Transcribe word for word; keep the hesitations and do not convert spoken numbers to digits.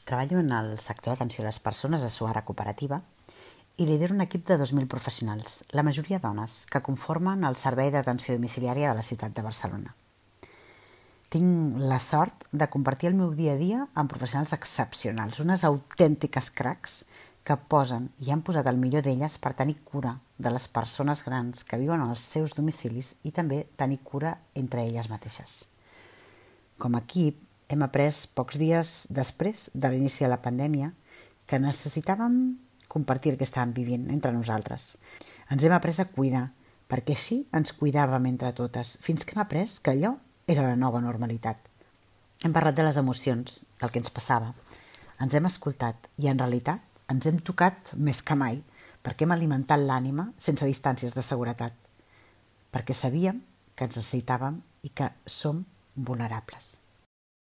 Treballo en el sector d'atenció a les persones a Suara Cooperativa i lidero un equip de dos mil professionals, la majoria dones, que conformen el Servei d'Atenció Domiciliària de la ciutat de Barcelona. Tinc la sort de compartir el meu dia a dia amb professionals excepcionals, unes autèntiques cracs que posen i han posat el millor d'elles per tenir cura de les persones grans que viuen als seus domicilis i també tenir cura entre elles mateixes. Com a equip, hem après pocs dies després de l'inici de la pandèmia que necessitàvem compartir el que estàvem vivint entre nosaltres. Ens hem après a cuidar, perquè així ens cuidàvem entre totes, fins que hem après que allò era la nova normalitat. Hem parlat de les emocions, del que ens passava, ens hem escoltat i en realitat ens hem tocat més que mai perquè hem alimentat l'ànima sense distàncies de seguretat, perquè sabíem que ens necessitàvem i que som vulnerables.